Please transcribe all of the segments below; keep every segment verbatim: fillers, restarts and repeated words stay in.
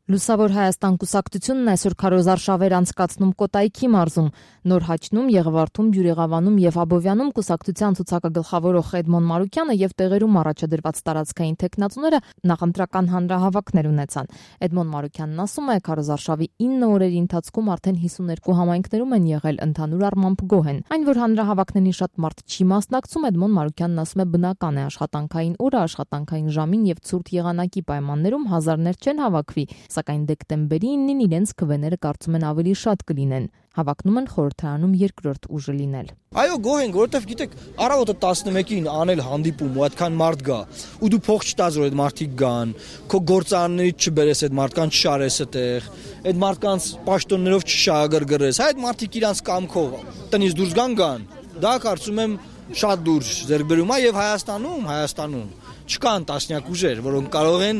Լուսավոր Հայաստան կուսակցությունն այսօր քարոզարշավեր անցկացնում Կոտայքի մարզում, Նոր Հաչնում, Եղվարդում, Բյուրեղավանում եւ Աբովյանում կուսակցության ցուցակագլխավորող Էդմոն Մարուկյանը եւ տեղերում առաջադրված տարածքային տեխնացուները նախընտրական հանրահավաքներ ունեցան։ Էդմոն Մարուկյանն ասում է, քարոզարշավի ինը օրերի ընթացքում արդեն հիսուններկու համայնքներում են եղել, ընդհանուր առմամբ գոհ են։ Այն, որ հանրահավաքներին շատ մարդ չի մասնակցում, Էդմոն Մարուկյանն ասում է, բնական է, աշխատանքային օրը, աշխատանքային ժամին եւ ցուրտ եղանակի պայմաններում հազարներ չեն հավաքվի, սակայն դեկտեմբերի ինին իրենց քվեները կարծում են ավելի շատ կլինեն։ Հավակնում են խորհրդարանում երկրորդ ուժը լինել։ Այո, գոհ ենք, որովհետև գիտեք, առավոտը տասնմեկին անել հանդիպում ու այդքան մարդ գա, ու դու փող չտաս, որ այդ մարդիկ գան, քո գործարաններից չբերես այդ մարդկանց չարես այդտեղ, այդ մարդկանց պաշտոններով չշահագրգռես, այդ մարդիկ իրանց կամքով տնից դուրս գան գան։ Դա կարծում եմ շատ դուրս ձեռք բերում է եւ Հայաստանում, Հայաստանում չկան տասնյակ ուժեր, որոնք կարող են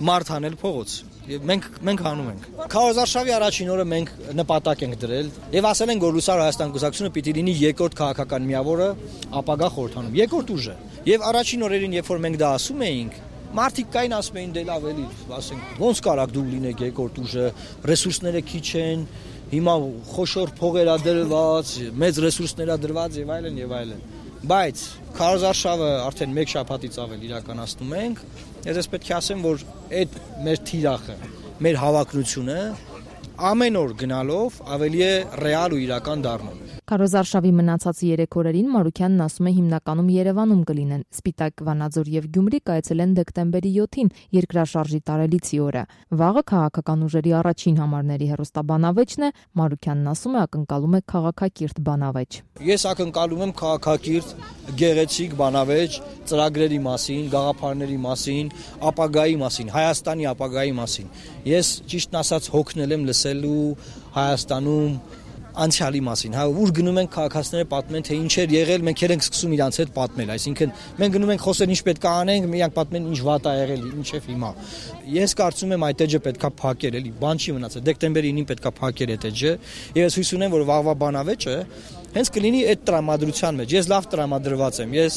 մարդ անել փողոց։ Եվ մենք մենք հանում ենք։ Քարոզարշավի առաջին օրը մենք նպատակ ենք դրել եւ ասել ենք, որ Լուսավոր Հայաստան կուսակցությունը պիտի լինի երկրորդ քաղաքական միավորը ապագա խորհրդանում, երկրորդ ուժը։ Եվ առաջին օրերին, երբ որ մենք դա ասում էինք, մարդիկ կային ասում էին դե լավ էլի, ասենք, ոնց կարաք դու լինեք երկրորդ ուժը, ռեսուրսները քիչ են, հիմա խոշոր փողեր ա դրված, մեծ ռեսուրսներ ա դրված եւ այլն եւ այլն։ Բայց քարոզարշավը արդեն մեկ շաբաթից ավել իրականացնում ենք։ Ես պետք է ասեմ, որ այդ մեր թիրախը, մեր հավակնությունը ամեն օր գնալով ավելի է ռեալ ու իրական դառնում։ Քարոզարշավի մնացած երեք օրերին Մարուկյանն ասում է հիմնականում Երևանում կլինեն։ Սպիտակ, Վանաձոր եւ Գյումրի կայացել են դեկտեմբերի յոթին երկրաշարժի տարելիցի օրը։ Վաղը քաղաքական ուժերի առաջին համարների հերոստաբանավեճն է, Մարուկյանն ասում է ակնկալում է քաղաքակիրթ բանավեճ։ Ես ակնկալում եմ քաղաքակիրթ, գեղեցիկ բանավեճ ծրագրերի մասին, գաղափարների մասին, ապագայի մասին, Հայաստանի ապագայի մասին։ Ես ճիշտն ասած հոգնել եմ լսելու Հայաստանում անցյալի մասին, հա, ուր գնում են քաղաքացիները պատմեն, թե ինչ էր եղել, մենք ենք սկսում իրանց հետ պատմել, այսինքն մենք գնում ենք խոսել ինչ պետք է անենք, իրանք պատմեն ինչ վատ ա եղել, ինչև հիմա։ Ես կարծում եմ այդ էջը պետքա փակել, էլի, բան չի մնացել, դեկտեմբերի ինին պետքա փակել այդ էջը, եւ ես հույս ունեմ, որ վաղվա բանավեճը հենց կլինի այդ տրամադրության մեջ։ Ես լավ տրամադրված եմ, ես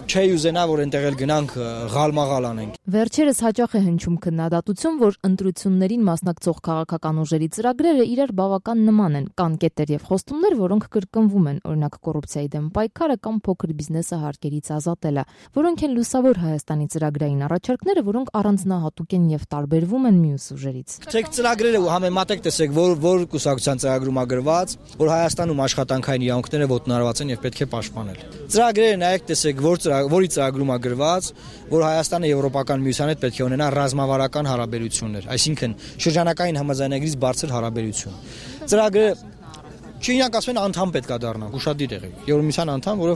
չէի ուզենա, որ այնտեղ էլ գնանք ղալմաղալ անենք։ Վերջերս հաճախ է հնչում քննադատություն, որ ընտրություններին մասնակցող քաղաքական ուժերի ծրագրերը իրար բավական նման են, կան կետեր եւ խոստումներ, որոնք կրկնվում են, օրինակ կոռուպցիայի դեմ պայքարը կամ փոքր բիզնեսը հարկերից ազատելը, որոնք են Լուսավոր Հայաստանի ծրագրային առաջարկները, որոնք առանձնահատուկ են եւ տարբերվում են մյուս ուժերից։ Ցեք ծրագրերը համեմատեք, տեսեք, որ որ կուսակցության ծրագրում ա գրված, որ Հայաստանում աշխատանքային իրավունքները ոտնահարված են եւ պետք է պաշտպանել։ Ծրագրերը նայեք, տեսեք, որ որի ծրագրում ա գրված, որ Հայաստանը Եվրոպական միության հետ պետք է ունենա ռազմավարական հարաբերություններ, այսինքն շրջանակային համաձայնագրից բարձր հարաբերություն։ Ծրագրը չի իրանք ասում են անդամ պետք է դառնանք, ուշադիր եղեք։ Եվրոմիության անդամ, որը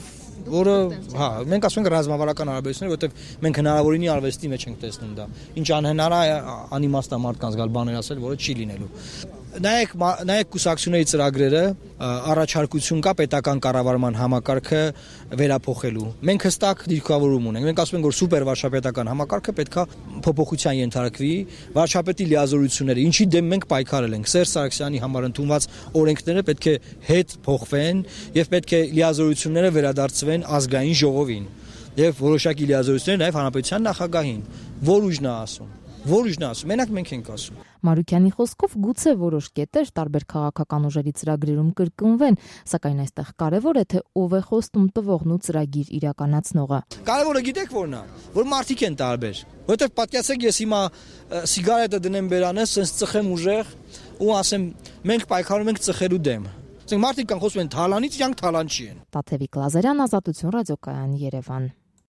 որը, հա, մենք ասում ենք ռազմավարական հարաբերություններ, որովհետև մենք հնարավորինի արվեստի մեջ ենք տեսնում դա։ Ինչ անհնար է անիմաստա մարդկանց գալ բաներ ասել, որը չի լինելու։ Նայեք, նայեք կուսակցությունների ծրագրերը, առաջարկություն կա պետական կառավարման համակարգը վերափոխելու։ Մենք հստակ դիրքավորում ունենք։ Մենք ասում ենք, որ սուպեր վարչապետական համակարգը պետքա փոփոխության ենթարկվի, վարչապետի լիազորությունները, ինչի դեմ մենք պայքարել ենք։ Սերժ Սարգսյանի համար ընդունված օրենքները պետք է հետ փոխվեն եւ պետք է լիազորությունները վերադարձվեն ազգային ժողովին եւ որոշակի լիազորություններ նաեւ հանրապետության նախագահին։ Որ ուժն է ասում։ Որ ուժն է ասում, մենակ մենք ենք ասում։ Մարուկյանի խոսքով գուցե որոշ կետեր տարբեր քաղաքական ուժերի ծրագրերում կրկնվեն, սակայն այստեղ կարևոր է թե ով է խոստում տվողն ու ծրագիր իրականացնողը։ Կարևորը գիտեք որն է, որ մարդիկ են տարբեր։ Որովհետև պատկերացեք, ես հիմա սիգարետը դնեմ բերանես, sense ծխեմ ուժեղ ու ասեմ, մենք պայքարում ենք ծխելու դեմ։ Ասենք մարդիկ կան խոսում են թալանից, իրանք թալան չի են։ Տաթևիկ Լազարյան, Ազատություն ռադիոկայան, Երևան։